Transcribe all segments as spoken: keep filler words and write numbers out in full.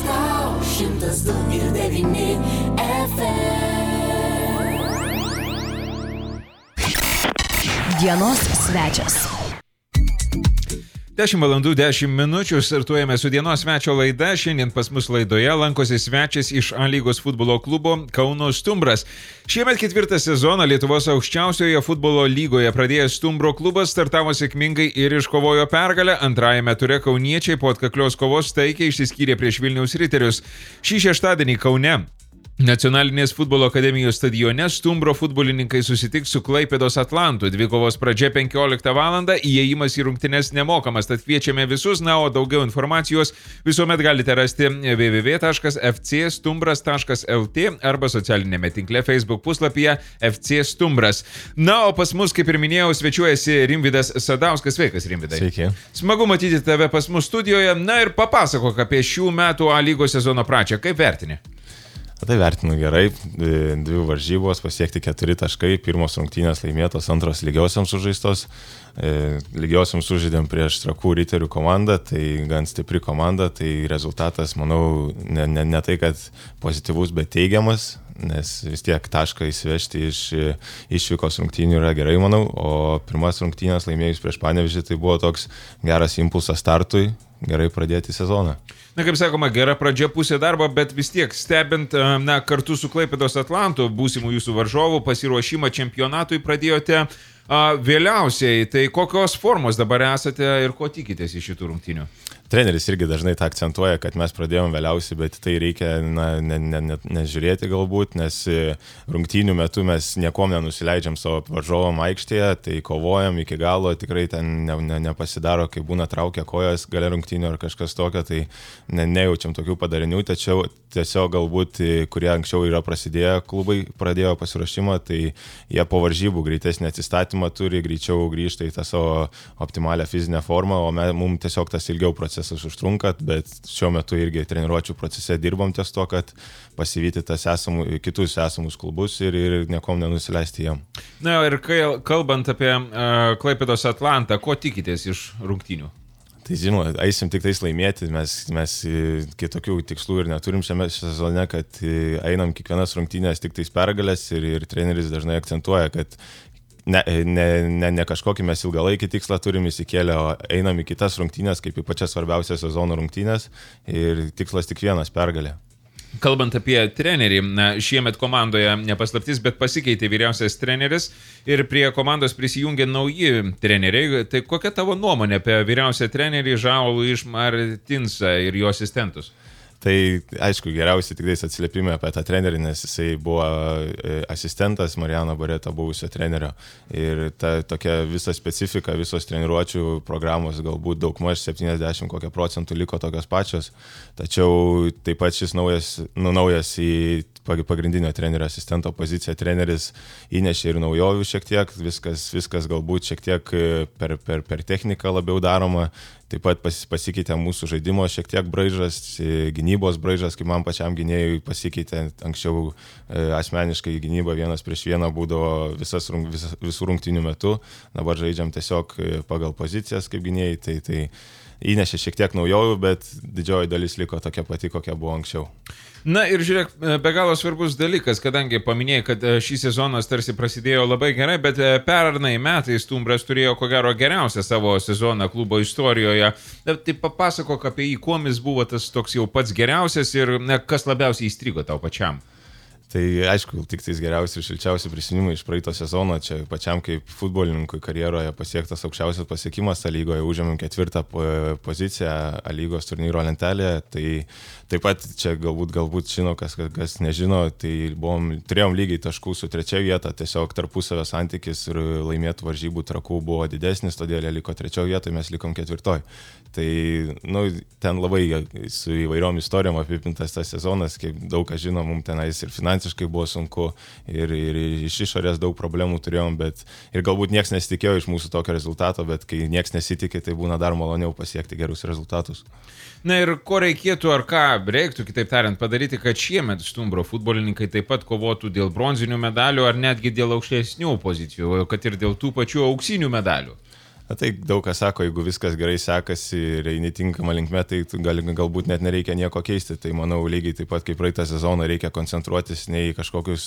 tau šimtas du ir devyni F M. Dienos svečias. dešimt valandų dešimt minučių startuojame su dienos svečio laida. Šiandien pas mus laidoje lankosi svečias iš A lygos futbolo klubo Kauno Stumbras. Šiemet ketvirtą sezoną Lietuvos aukščiausioje futbolo lygoje pradėjęs Stumbro klubas startavo sėkmingai ir iškovojo pergalę. Antrajame ture kauniečiai po atkaklios kovos taikiai išsiskyrė prieš Vilniaus Riterius. Šį šeštadienį Kaune Nacionalinės futbolo akademijos stadione Stumbro futbolininkai susitiks su Klaipėdos Atlantu. Dvikovos pradžia penkioliktą valandą, įėjimas į rungtynes nemokamas, tad kviečiame visus, na, o daugiau informacijos visuomet galite rasti w w w taškas f c stumbras taškas l t arba socialinėme tinkle Facebook puslapyje F C Stumbras. Na, o pas mus, kaip ir minėjau, svečiuojasi Rimvydas Sadauskas. Sveikas, Rimvydai. Sveiki. Smagu matyti tave pas mus studijoje. Na ir papasakok apie šių metų A lygos sezono pradžią. Kaip vertini? Tai vertinu gerai, dvi varžybos, pasiekti keturi taškai, pirmos rungtynės laimėtos, antros lygiosiams sužaistos. Lygiosiams sužaidėm prieš Trakų Riterių komandą, tai gan stipri komanda, tai rezultatas, manau, ne, ne, ne tai, kad pozityvus, bet teigiamas, nes vis tiek tašką įsivežti iš išvykos rungtynių yra gerai, manau, o pirmas rungtynės laimėjus prieš Panevėžį, tai buvo toks geras impulsas startui, gerai pradėti sezoną. Na, kaip sakoma, gera pradžia pusė darbo, bet vis tiek stebint, na, kartu su Klaipėdos Atlantu, būsimų jūsų varžovų pasiruošimą čempionatui pradėjote a, vėliausiai. Tai kokios formos dabar esate ir ko tikitės iš šitų rungtynių? Treneris irgi dažnai tą akcentuoja, kad mes pradėjom vėliausiai, bet tai reikia na, ne, ne, ne, nežiūrėti galbūt, nes rungtynių metu mes niekom nenusileidžiam savo varžovom aikštėje, tai kovojam iki galo, tikrai ten ne, ne, nepasidaro, kai būna traukia kojas gale rungtynių ar kažkas tokio, tai ne, nejaučiam tokių padarinių, tačiau tiesiog galbūt, kurie anksčiau yra prasidėję klubai, pradėjo pasiruošimą, tai jie po varžybų greitesnį atsistatymą turi, greičiau grįžta į tą savo optimalią fizinę formą, o mums tiesiog tas ilgiau procesas užtrunka, bet šiuo metu irgi treniruočių procese dirbom ties to, kad pasivyti tas esamų, kitus esamus klubus ir, ir niekom nenusileisti jam. Na ir kai, kalbant apie uh, Klaipėdos Atlantą, ko tikitės iš rungtynių? Tai žinoma, eisim tik tais laimėti, mes, mes kitokių tikslų ir neturim šiame sezone, kad einam kiekvienas rungtynės tik tais pergalės ir, ir treneris dažnai akcentuoja, kad Ne, ne, ne, ne kažkokį mes ilgalaikį tikslą turim įsikėlę, o einam į kitas rungtynės, kaip į pačias svarbiausias sezono rungtynės ir tikslas tik vienas - pergalė. Kalbant apie trenerį, na, šiemet komandoje nepaslaptis, bet pasikeitė vyriausias treneris ir prie komandos prisijungė nauji treneriai. Tai kokia tavo nuomonė apie vyriausią trenerį Žaulų iš Martinsą ir jo asistentus? Tai aišku, geriausiai tik atsiliepimai apie tą trenerį, nes jisai buvo asistentas Mariano Bareto buvusio trenerio. Ir ta tokia visa specifika, visos treniruočių programos galbūt daugmaž septyniasdešimt kokią procentų liko tokios pačios. Tačiau taip pat šis naujas, nu, naujas į pagrindinio trenerio asistento poziciją treneris įnešė ir naujovių šiek tiek, viskas, viskas galbūt šiek tiek per, per, per techniką labiau daroma. Taip pat pas, pasikeitė mūsų žaidimo šiek tiek braižas, gynybos braižas, kaip man pačiam gynėjui pasikeitė. Anksčiau e, asmeniškai gynyba vienas prieš vieną būdavo visas, visas, visų rungtynių metu. Dabar žaidžiam tiesiog pagal pozicijas kaip gynėjai. Tai, tai įnešė šiek tiek naujovių, bet didžioji dalis liko tokia pati, kokia buvo anksčiau. Na ir žiūrėk, be galo svarbus dalykas, kadangi paminėjai, kad šį sezonas tarsi prasidėjo labai gerai, bet pernai metais Stumbras turėjo ko gero geriausią savo sezoną klubo istorijoje. Tai papasakok apie jį, kuom jis buvo tas toks jau pats geriausias ir ne, kas labiausiai įstrigo tau pačiam. Tai aišku, tik tais geriausi ir šilčiausi prisiminimai iš praeito sezono, čia pačiam kaip futbolininkui karjeroje pasiektas aukščiausias pasiekimas A lygoje, užėmėm ketvirtą poziciją A lygos turnyro lentelėje, tai taip pat čia galbūt, galbūt žino, kas, kas nežino, tai buvom, turėjom lygiai taškų su trečia vieta, tiesiog tarpusavio santykis ir laimėtų varžybų Trakų buvo didesnis, todėl jie liko trečioje vietoje, mes likom ketvirtoj. Tai nu, ten labai su įvairiom istorijom apipintas tas sezonas, kaip daug kas žino, mums tenais ir finansiškai buvo sunku, ir, ir iš išorės daug problemų turėjom, bet ir galbūt nieks nesitikėjo iš mūsų tokio rezultato, bet kai nieks nesitikė, tai būna dar maloniau pasiekti gerus rezultatus. Na ir ko reikėtų ar ką reiktų, kitaip tariant, padaryti, kad šiemet Stumbro futbolininkai taip pat kovotų dėl bronzinių medalių ar netgi dėl aukštesnių pozicijų, kad ir dėl tų pačių auksinių medalių? Na, tai daug kas sako, jeigu viskas gerai sekasi ir eini tinkamą linkme, tai gal, galbūt net nereikia nieko keisti. Tai manau, lygiai taip pat kaip praeitą sezoną reikia koncentruotis ne į kažkokius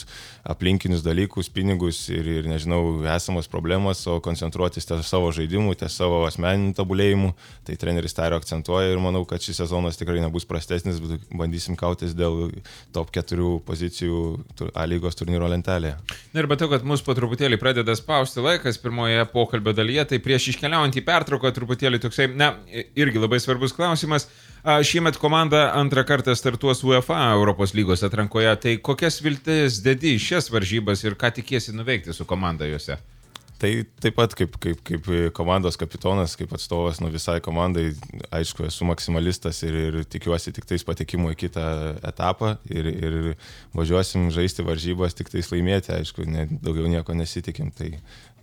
aplinkinius dalykus, pinigus ir, ir nežinau, esamos problemas, o koncentruotis ties savo žaidimu, ties savo asmeniniu tobulėjimu. Tai treneris tą ir akcentuoja ir manau, kad šis sezonas tikrai nebus prastesnis, bet bandysim kautis dėl top keturių pozicijų A lygos turnyro lentelėje. Na ir matau, kad mus po truputėlį pradeda spausti laikas pirmoje pokalbio dalyje, tai prieš iškeliaujant į pertrauką truputėlį toksai, na, irgi labai svarbus klausimas. Šiemet komanda antrą kartą startuos UEFA Europos lygos atrankoje, tai kokias viltis dedi į šias varžybas ir ką tikiesi nuveikti su komanda juose? Tai taip pat kaip, kaip, kaip komandos kapitonas, kaip atstovas nuo visai komandai, aišku, esu maksimalistas ir, ir tikiuosi tik tais patekimo į kitą etapą ir, ir važiuosim žaisti varžybas, tik tais laimėti, aišku, ne, daugiau nieko nesitikim, tai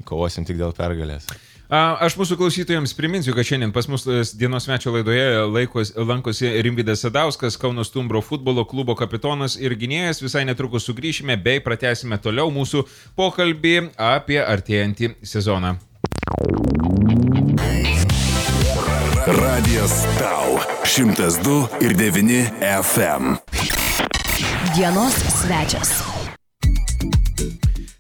kovosim tik dėl pergalės. Aš mūsų klausytojams priminsiu, kad šiandien pas mus dienos svečio laidoje laikos, lankosi Rimvydas Sadauskas, Kauno Stumbro futbolo klubo kapitonas ir gynėjas. Visai netrukus sugrįšime bei pratęsime toliau mūsų pokalbį apie artėjantį sezoną. Radijas tau šimtas du ir devyni F M. Dienos svečias.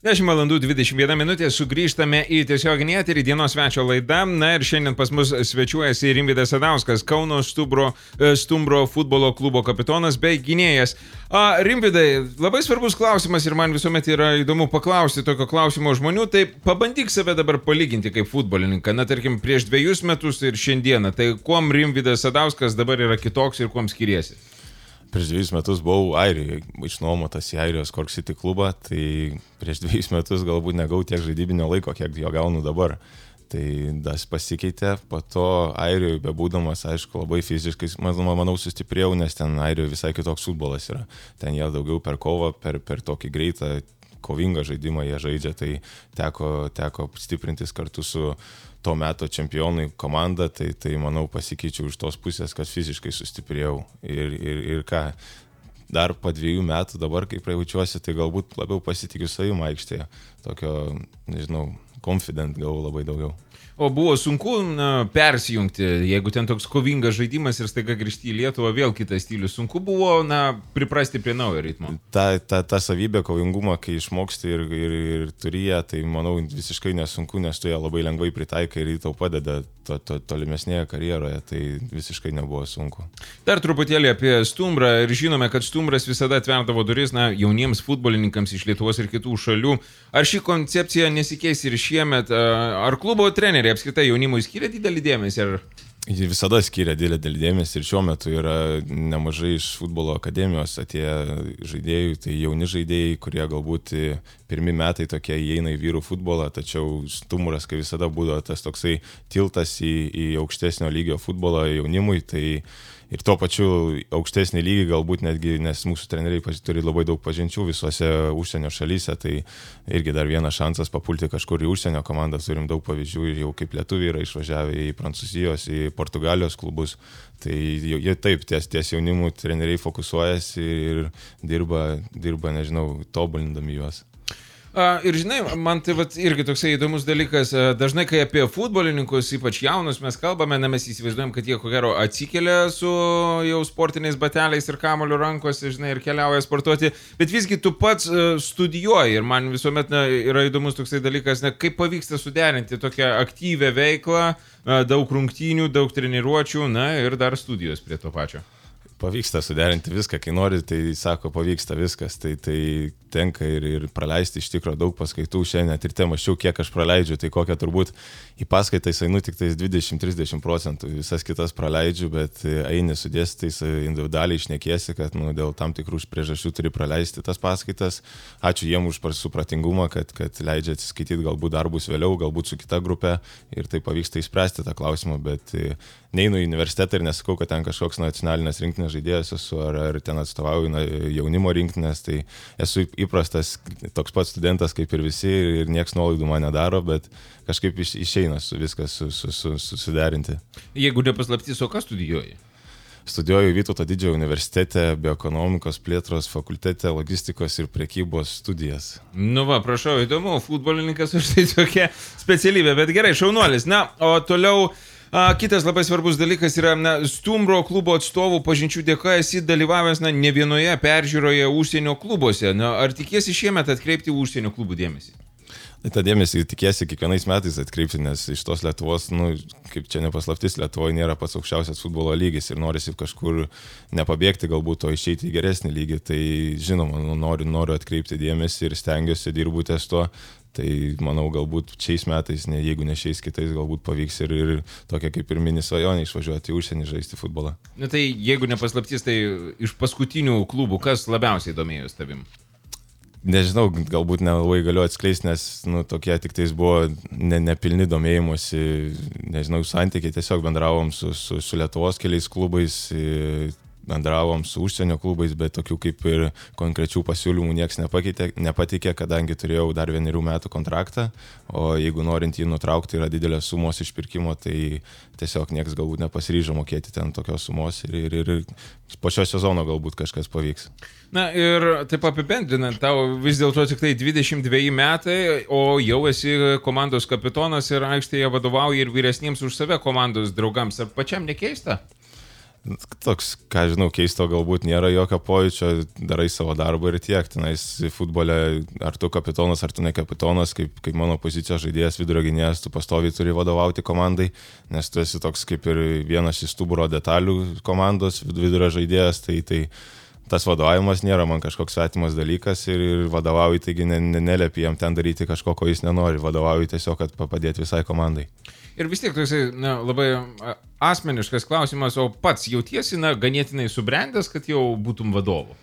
dešimt valandų dvidešimt viena minutė, sugrįžtame į tiesioginį eterį, dienos svečio laida. Na ir šiandien pas mus svečiuojasi Rimvydas Sadauskas, Kauno Stumbro, Stumbro futbolo klubo kapitonas bei gynėjas. A, Rimvydai, labai svarbus klausimas ir man visuomet yra įdomu paklausti tokio klausimo žmonių, tai pabandyk save dabar palyginti kaip futbolininką, na tarkim prieš dviejus metus ir šiandieną, tai kuom Rimvydas Sadauskas dabar yra kitoks ir kuom skiriesi? Prieš dviejus metus buvau Airijoje, išnuomotas į Airijos Cork City klubą, tai prieš dviejus metus galbūt negau tiek žaidybinio laiko, kiek jo gaunu dabar. Tai das pasikeitė, po to Airijoje bebūdamas, aišku, labai fiziškai, manau, manau sustiprėjau, nes ten Airijoje visai kitoks futbolas yra. Ten jie daugiau per kovą, per, per tokį greitą, kovingą žaidimą jie žaidžia, tai teko, teko stiprintis kartu su to meto čempionai komanda, tai, tai manau pasikeičiau iš tos pusės, kad fiziškai sustiprėjau. Ir, ir, ir ką, dar po dviejų metų dabar, kai jaučiuosi, tai galbūt labiau pasitikiu savim aikštėje. Tokio, nežinau, confident gavau labai daugiau. O buvo sunku na, persijungti, jeigu ten toks kovingas žaidimas ir staiga grįžti į Lietuvą, vėl kitas stilius. Sunku buvo na, priprasti prie naujo ritmo. Ta, ta, ta savybė kovingumą, kai išmoksti ir, ir, ir turi ją, tai manau visiškai nesunku, nes tu ją labai lengvai pritaikai ir tau padeda to, to, tolimesnėje karjeroje, tai visiškai nebuvo sunku. Dar truputėlį apie Stumbrą ir žinome, kad Stumbras visada atverdavo duris na, jauniems futbolininkams iš Lietuvos ir kitų šalių. Ar ši koncepcija nesikeis ir šiemet? Ar klubo treneriai apskritai jaunimui skiria didelį dėmesį? Ar... Jie visada skiria didelį dėmesį ir šiuo metu yra nemažai iš futbolo akademijos atėję žaidėjų, tai jauni žaidėjai, kurie galbūt pirmi metai tokie įeina į vyrų futbolą, tačiau Stumbras, kai visada būdavo tas toksai tiltas į, į aukštesnio lygio futbolą jaunimui, tai ir tuo pačiu aukštesnį lygį galbūt netgi, nes mūsų treneriai turi labai daug pažinčių visose užsienio šalyse, tai irgi dar vienas šansas papulti kažkur į užsienio komandą, turim daug pavyzdžių, jau kaip lietuviai yra išvažiavę į Prancūzijos, į Portugalijos klubus, tai jie taip, ties, ties jaunimų treneriai fokusuojasi ir dirba, dirba, nežinau, tobulindami juos. Ir žinai, man tai vat, irgi toksai įdomus dalykas, dažnai kai apie futbolininkus, ypač jaunus, mes kalbame, na, mes įsivaizduojam, kad jie ko gero atsikelia su jau sportiniais bateliais ir kamuoliu rankose, žinai, ir keliauja sportuoti, bet visgi tu pats studijuoji ir man visuomet na, yra įdomus toksai dalykas, na, kaip pavyksta suderinti tokią aktyvę veiklą, daug rungtynių, daug treniruočių, na ir dar studijos prie to pačio. Pavyksta suderinti viską, kai nori, tai sako, pavyksta viskas, tai, tai tenka ir, ir praleisti iš tikro daug paskaitų šiandien, ir te mačiau, kiek aš praleidžiu, tai kokią turbūt į paskaitais einu tik tais dvidešimt trisdešimt procentų, visas kitas praleidžiu, bet eini su dėstytojais individualiai šnekėsi, kad nu, dėl tam tikrų priežasčių turi praleisti tas paskaitas. Ačiū jiem už supratingumą, kad, kad leidžia atsiskaityti galbūt darbus vėliau, galbūt su kita grupė ir tai pavyksta išspręsti tą klausimą, bet neinu į universitetą ir nesakau, kad ten kažkoks nacionalinės rinktinės žaidėjas esu, ar, ar ten atstovauju jaunimo rinktinės, tai esu įprastas toks pats studentas kaip ir visi ir nieks nuolaidų man nedaro, bet kažkaip iš, išeina su viskas su, su, su, su, suderinti. Jeigu nepaslaptys, o ką studijuoji? studijuoju Vytauto didžiojo universitete, bioekonomikos plėtros fakultete, logistikos ir prekybos studijas. Nu va, prašau, įdomu, futbolininkas už tai tokia specialybė, bet gerai, šaunuolis. Na, o toliau a, kitas labai svarbus dalykas yra na, Stumbro klubo atstovų pažinčių dėka esi dalyvavęs na, ne vienoje peržiūroje užsienio klubuose. Na, ar tikėsi šiemet atkreipti užsienio klubų dėmesį? Tai tą dėmesį tikėsi kiekvienais metais atkreipti, nes iš tos Lietuvos, nu, kaip čia nepaslaptis, Lietuvoje nėra pats aukščiausias futbolo lygis ir norisi kažkur nepabėgti galbūt, o išeiti į geresnį lygį. Tai žinoma, nu, noriu, noriu atkreipti dėmesį ir stengiuosi, dirbu ties to. Tai manau, galbūt šiais metais, ne, jeigu ne šiais kitais, galbūt pavyks ir, ir tokia kaip ir mini svajonė išvažiuoti į užsienį žaisti futbolą. Na tai jeigu nepaslaptis, tai iš paskutinių klubų kas labiausiai domėjus tavim? Nežinau, galbūt nelabai galiu atskleisti, nes nu, tokie tik tais buvo ne, nepilni domėjimuose, nežinau, santykiai, tiesiog bendravom su, su, su Lietuvos keliais klubais, bendravom su užsienio klubais, bet tokių kaip ir konkrečių pasiūlymų niekas nepateikė, kadangi turėjau dar vienerių metų kontraktą, o jeigu norint jį nutraukti yra didelės sumos išpirkimo, tai tiesiog niekas galbūt nepasiryžo mokėti ten tokios sumos ir, ir, ir po šio sezono galbūt kažkas pavyks. Na ir taip apibendrinant, tau vis dėlto tik tai dvidešimt dveji metai, o jau esi komandos kapitonas ir aikštėje vadovauji ir vyresniems už save komandos draugams. Ar pačiam nekeista? Toks, ką žinau, keisto galbūt nėra jokio pojūčio, darai savo darbą ir tiek. Tenais futbole, ar tu kapitonas, ar tu ne kapitonas, kaip, kaip mano pozicijos žaidėjas vidurio gynėjas, tu pastoviai turi vadovauti komandai, nes tu esi toks kaip ir vienas iš stuburo detalių komandos vidurio žaidėjas, tai, tai tas vadovavimas nėra man kažkoks svetimas dalykas ir, ir vadovauji, taigi ne, ne, neliepi jam ten daryti kažko, ko jis nenori, vadovauji tiesiog, kad padėti visai komandai. Ir vis tiek toksai na, labai asmeniškas klausimas, o pats jautiesi na, ganėtinai subrendęs, kad jau būtum vadovu?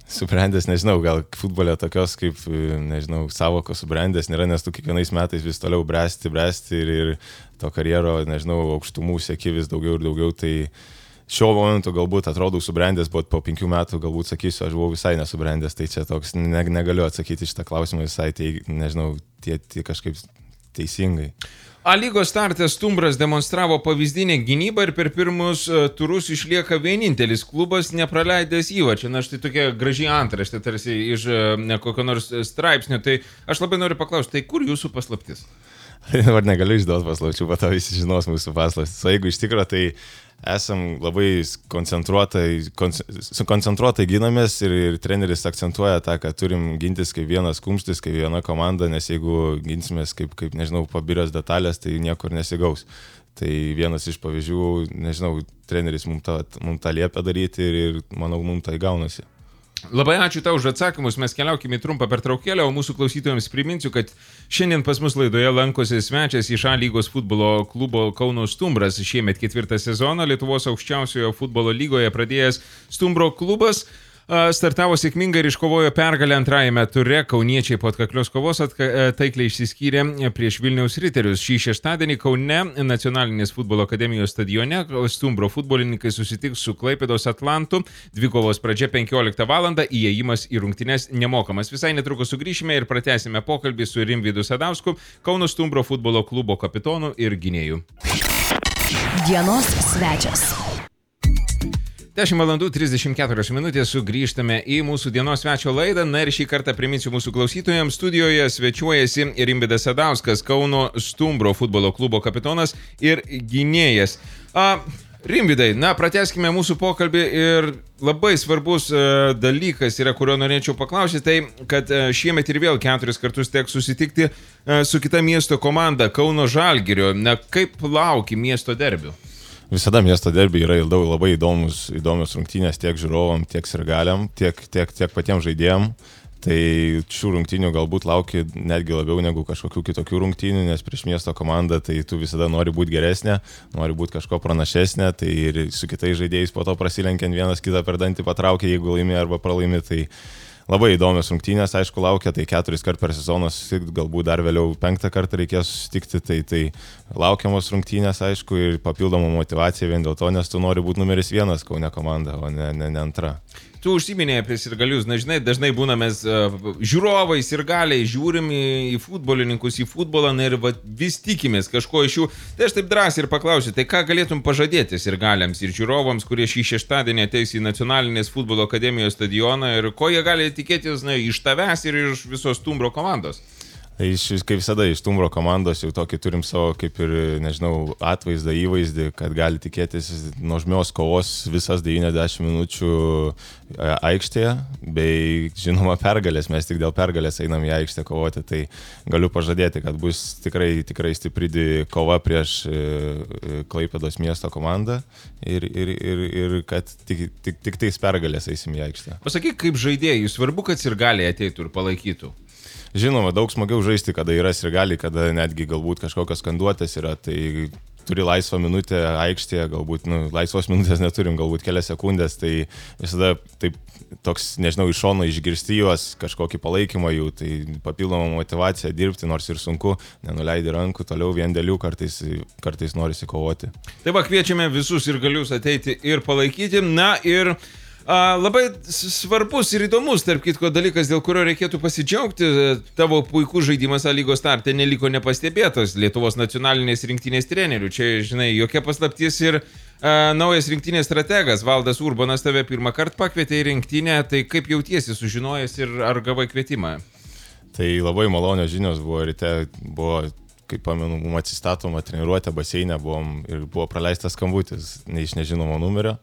Subrendęs, nežinau, gal futbole tokios kaip, nežinau, savokos subrendęs nėra, nes tu kiekvienais metais vis toliau bręsti, bręsti ir, ir to karjero, nežinau, aukštumų sieki vis daugiau ir daugiau, tai šiuo momentu galbūt atrodau subrendęs, bet po penkių metų galbūt sakysiu, aš buvau visai nesubrendęs, tai čia toks, ne, negaliu atsakyti šitą klausimą visai, tai, nežinau, tie, tie kažkaip teisingai. A lygos starte Stumbras demonstravo pavyzdinę gynybą ir per pirmus turus išlieka vienintelis klubas nepraleidęs įvarčio. Na štai tokia graži antraštė tarsi iš ne, kokio nors straipsnio. Tai aš labai noriu paklausti, tai kur jūsų paslaptis? Dabar negaliu išduoti paslapčių, bet to visi žinos mūsų paslaptis. O jeigu iš tikro, tai esam labai koncentruotai, koncentruotai ginamės ir, ir treneris akcentuoja tą, kad turim gintis kaip vienas kumštis, kaip viena komanda, nes jeigu ginsimės kaip, kaip nežinau, pabirės detalės, tai niekur nesigaus. Tai vienas iš pavyzdžių, nežinau, treneris mums tą, mums tą liepia daryti ir, ir manau, mums tai gaunasi. Labai ačiū tau už atsakymus, mes keliaukime į trumpą pertraukėlę, o mūsų klausytojams priminsiu, kad šiandien pas mus laidoje lankosi svečias iš A lygos futbolo klubo Kauno Stumbras. Šiemet ketvirtą sezoną Lietuvos aukščiausiojo futbolo lygoje pradėjęs Stumbro klubas startavo sėkmingai ir iškovojo pergalę antrajame ture. Kauniečiai po atkaklios kovos atka, taikliai išsiskyrė prieš Vilniaus Riterius. Šį šeštadienį Kaune Nacionalinės futbolo akademijos stadione Stumbro futbolininkai susitiks su Klaipėdos Atlantu. Dvikovos pradžia penkioliktą valandą, įėjimas į rungtynes nemokamas. Visai netrukus sugrįšime ir pratęsime pokalbį su Rimvydu Sadausku, Kauno Stumbro futbolo klubo kapitonu ir gynėju. Dienos svečias. dešimt valandų trisdešimt keturios minutės sugrįžtame į mūsų dienos svečio laidą. Na ir šį kartą priminsiu mūsų klausytojams, studijoje svečiuojasi Rimvydas Sadauskas, Kauno Stumbro futbolo klubo kapitonas ir gynėjas. A, Rimvydai, na, pratęskime mūsų pokalbį ir labai svarbus a, dalykas yra, kurio norėčiau paklausyti, tai, kad a, šiemet ir vėl keturis kartus teks susitikti a, su kita miesto komanda Kauno Žalgirio. Na, kaip lauki miesto derbių? Visada miesto derbiai yra labai įdomus, įdomios rungtynės tiek žiūrovam, tiek sirgaliam, tiek, tiek, tiek patiems žaidėjam. Tai šių rungtynių galbūt lauki netgi labiau negu kažkokių kitokių rungtynių, nes prieš miesto komandą tai tu visada nori būti geresnė, nori būti kažko pranašesnė, tai ir su kitais žaidėjais po to prasilenkiant vienas kitą per dantį patraukia, jeigu laimi arba pralaimi, tai labai įdomios rungtynės, aišku, laukia, tai keturis kart per sezoną susitikti, galbūt dar vėliau penktą kartą reikės susitikti, tai, tai laukiamos rungtynės, aišku, ir papildoma motivacija vien dėl to, nes tu nori būti numeris vienas Kaune komanda, o ne, ne, ne antra. tu užsiminėjai apie sirgalius, na žinai, dažnai būname uh, žiūrovai, sirgaliai, žiūrim į, į futbolininkus, į futbolą, na ir va, vis tikimės kažko iš jų. Tai aš taip drąsiai ir paklausiu, tai ką galėtum pažadėti sirgaliams ir žiūrovams, kurie šį šeštadienį ateis į Nacionalinės futbolo akademijos stadioną ir ko jie gali tikėtis, na, iš tavęs ir iš visos Stumbro komandos? Iš, kaip visada, iš Stumbro komandos jau tokį turim savo, kaip ir, nežinau, atvaizdą, įvaizdį, kad gali tikėtis nuožmios kovos visas devyniasdešimt minučių aikštėje, bei, žinoma, pergalės. Mes tik dėl pergalės einam į aikštę kovoti, tai galiu pažadėti, kad bus tikrai, tikrai stipri kova prieš Klaipėdos miesto komandą ir, ir, ir, ir kad tik, tik, tik tais pergalės eisim į aikštę. Pasakyk, kaip žaidėjai, svarbu, kad sirgaliai ateitų ir palaikytų. Žinoma, daug smagiau žaisti, kada yra sirgaliai, kada netgi galbūt kažkokios skanduotės yra, tai turi laisvą minutę aikštėje, galbūt, nu, laisvos minutės neturim, galbūt kelias sekundės, tai visada taip toks, nežinau, iš šono išgirsti juos, kažkokį palaikymą jų, tai papildoma motivacija dirbti, nors ir sunku, nenuleidi rankų, toliau vien dėl jų kartais, kartais norisi kovoti. Tai va, kviečiame visus sirgalius ateiti ir palaikyti, na ir A, labai svarbus ir įdomus, tarp kitko, dalykas, dėl kurio reikėtų pasidžiaugti, tavo puikus žaidimas A lygos starte neliko nepastebėtas Lietuvos nacionalinės rinktinės trenerių. Čia, žinai, jokia paslaptis ir a, naujas rinktinės strategas Valdas Urbonas tave pirmą kartą pakvietė į rinktinę, tai kaip jautiesi sužinojęs ir ar gavai kvietimą? Tai labai malonios žinios buvo, ryte buvo, kaip pamenu, mums atsistatoma treniruotė baseinė buvom ir buvo praleistas skambutis ne iš nežinomo numerio.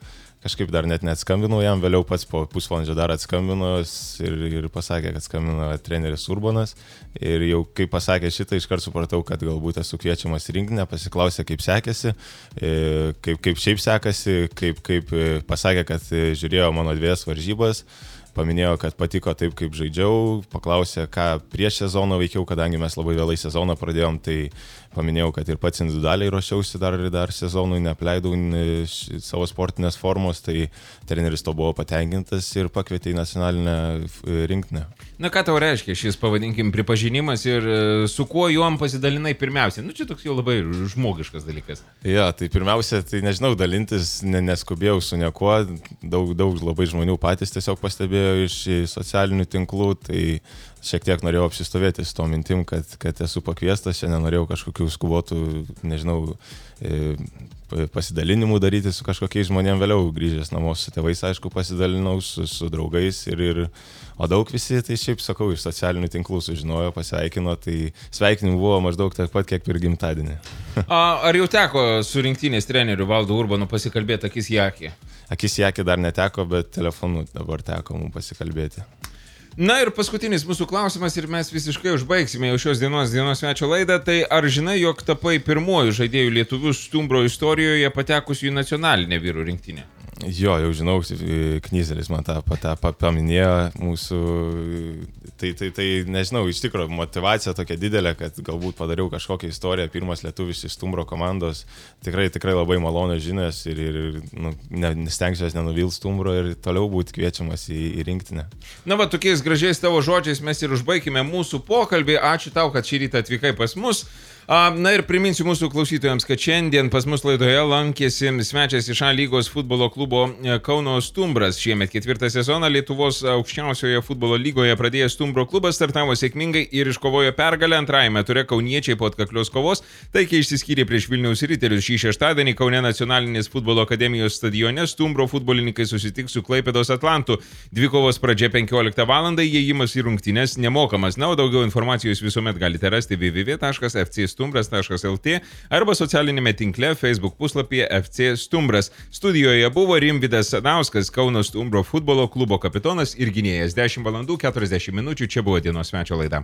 Kažkaip dar net neatskambinau jam, vėliau pats po pusvalandžio dar atskambino ir, ir pasakė, kad skambino treneris Urbonas. Ir jau kai pasakė šitą, iškart supratau, kad galbūt esu kviečiamas į rinktinę, pasiklausė, kaip sekėsi, kaip, kaip šiaip sekasi, kaip, kaip pasakė, kad žiūrėjo mano dviejas varžybas. Paminėjo, kad patiko taip, kaip žaidžiau, paklausė, ką prieš sezoną veikiau, kadangi mes labai vėlai sezoną pradėjom, tai paminėjau, kad ir pats individualiai ruošiausi dar, dar sezonui, neapleidau savo sportinės formos, tai treneris to buvo patenkintas ir pakvietė į nacionalinę rinktinę. Na ką tau reiškia šis, pavadinkim, pripažinimas ir su kuo juom pasidalinai pirmiausiai? Nu, čia toks jau labai žmogiškas dalykas. Ja, tai pirmiausia, tai nežinau, dalintis ne, neskubėjau su niekuo, daug, daug labai žmonių patys tiesiog pastebėjo iš socialinių tinklų, tai šiek tiek norėjau apsistovėti su to mintim, kad, kad esu pakviestas, šiandien norėjau kažkokių skubotų, nežinau, pasidalinimų daryti su kažkokiais žmonėm, vėliau grįžęs namo su tėvais, aišku, pasidalinau su, su draugais ir, ir, o daug visi, tai šiaip sakau, iš socialinių tinklų sužinojo, pasveikino, tai sveikinimų buvo maždaug tiek pat, kiek per gimtadienį. A, ar jau teko su rinktinės treneriu Valdu Urbanu pasikalbėti akis į akį? Akis į akį dar neteko, bet telefonu dabar teko mums pasikalbėti. Na ir paskutinis mūsų klausimas ir mes visiškai užbaigsime jau šios dienos dienos svečio laidą. Tai ar žinai, jog tapai pirmuoju žaidėjų lietuvių Stumbro istorijoje patekusiu į nacionalinę vyrų rinktinę? Jo, jau žinau, Knyzelis man tą, tą paminėjo mūsų, tai, tai, tai nežinau, iš tikrųjų motivacija tokia didelė, kad galbūt padariau kažkokią istoriją, pirmas lietuvis iš Stumbro komandos, tikrai, tikrai labai malonios žinios ir, ir nu, nestengsiuos nenuvils Stumbro ir toliau būti kviečiamas į, į rinktinę. Na va, tokiais gražiais tavo žodžiais mes ir užbaigime mūsų pokalbį. Ačiū tau, kad šį rytą atvykai pas mus. Na ir priminsiu mūsų klausytojams, kad šiandien pas mus laidoje lankėsi svečias iš A lygos futbolo klubo Kauno Stumbras. Šiemet ketvirtą sezoną Lietuvos aukščiausioje futbolo lygoje pradėjęs Stumbro klubas startavo sėkmingai ir iškovojo pergalę. Antrajame ture kauniečiai po atkaklios kovos taikiai išsiskyrė prieš Vilniaus Riterius. Šį šeštadienį Kaune Nacionalinės futbolo akademijos stadione Stumbro futbolininkai susitiks su Klaipėdos Atlantu. Dvikovos pradžia penkioliktą valandą, įėjimas į rungtynes nemokamas. Na, o daugiau informacijos visuomet galite rasti w w w taškas f c stumbras taškas l t arba socialinėme tinkle Facebook puslapyje F C Stumbras. Studijoje buvo Rimvydas Sadauskas, Kauno Stumbro futbolo klubo kapitonas ir gynėjas. dešimt valandų keturiasdešimt minučių, čia buvo dienos svečio laida.